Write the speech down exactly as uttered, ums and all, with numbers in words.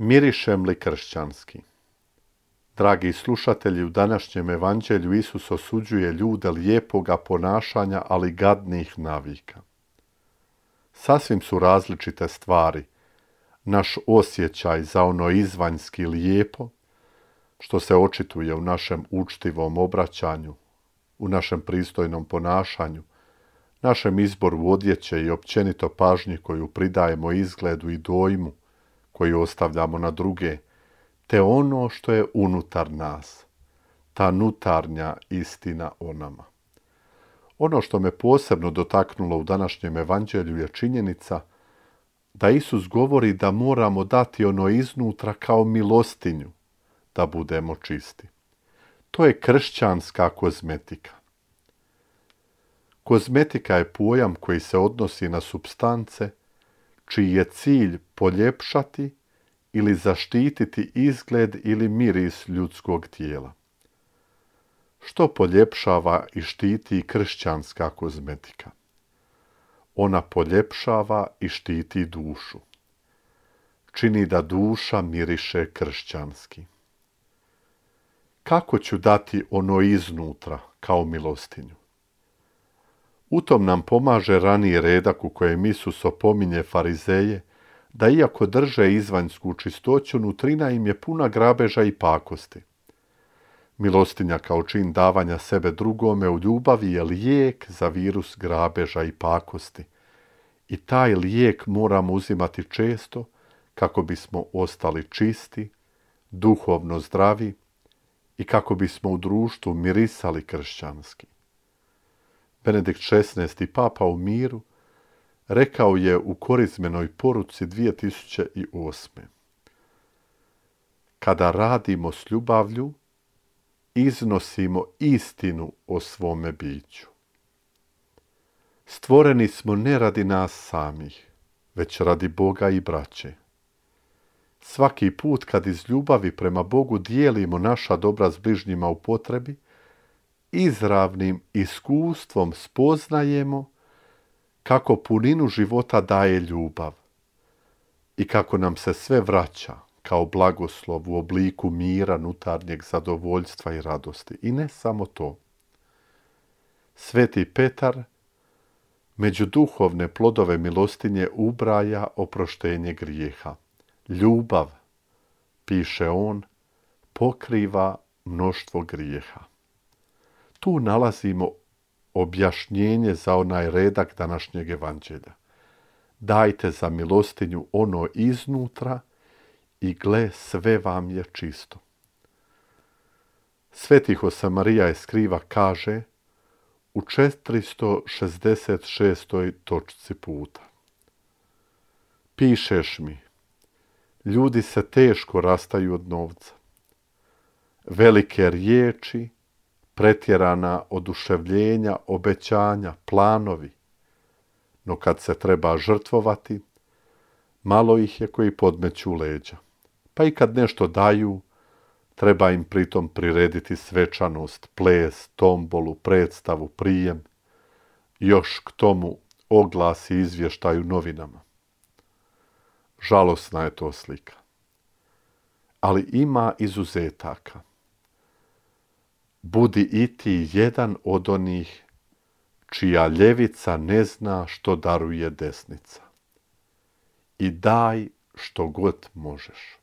Mirišem li kršćanski? Dragi slušatelji, u današnjem evanđelju Isus osuđuje ljude lijepoga ponašanja, ali gadnih navika. Sasvim su različite stvari. Naš osjećaj za ono izvanjski lijepo, što se očituje u našem učtivom obraćanju, u našem pristojnom ponašanju, našem izboru odjeće i općenito pažnji koju pridajemo izgledu i dojmu koju ostavljamo na druge, te ono što je unutar nas, ta nutarnja istina o nama. Ono što me posebno dotaknulo u današnjem evanđelju je činjenica da Isus govori da moramo dati ono iznutra kao milostinju da budemo čisti. To je kršćanska kozmetika. Kozmetika je pojam koji se odnosi na supstance čiji je cilj poljepšati ili zaštititi izgled ili miris ljudskog tijela. Što poljepšava i štiti kršćanska kozmetika? Ona poljepšava i štiti dušu. Čini da duša miriše kršćanski. Kako ću dati ono iznutra kao milostinju? U tom nam pomaže raniji redak u kojem Isus opominje farizeje da iako drže izvanjsku čistoću, nutrina im je puna grabeža i pakosti. Milostinja kao čin davanja sebe drugome u ljubavi je lijek za virus grabeža i pakosti. I taj lijek moramo uzimati često kako bismo ostali čisti, duhovno zdravi i kako bismo u društvu mirisali kršćanski. Benedikt šesnaesti. Papa u miru rekao je u korizmenoj poruci dvije tisuće osme. Kada radimo s ljubavlju, iznosimo istinu o svome biću. Stvoreni smo ne radi nas samih, već radi Boga i braće. Svaki put kad iz ljubavi prema Bogu dijelimo naša dobra s bližnjima u potrebi, izravnim iskustvom spoznajemo kako puninu života daje ljubav i kako nam se sve vraća kao blagoslov u obliku mira, nutarnjeg zadovoljstva i radosti. I ne samo to. Sveti Petar među duhovne plodove milostinje ubraja oproštenje grijeha. Ljubav, piše on, pokriva mnoštvo grijeha. Tu nalazimo objašnjenje za onaj redak današnjeg evanđelja. Dajte za milostinju ono iznutra i gle, sve vam je čisto. Sveti Josemarija Eskriva kaže u četiristo šezdeset šestoj točci puta. Pišeš mi, ljudi se teško rastaju od novca. Velike riječi, pretjerana oduševljenja, obećanja, planovi. No kad se treba žrtvovati, malo ih je koji podmeću leđa. Pa i kad nešto daju, treba im pritom prirediti svečanost, ples, tombolu, predstavu, prijem, još k tomu oglas i izvještaj u novinama. Žalosna je to slika. Ali ima izuzetaka. Budi i ti jedan od onih čija ljevica ne zna što daruje desnica. I daj što god možeš.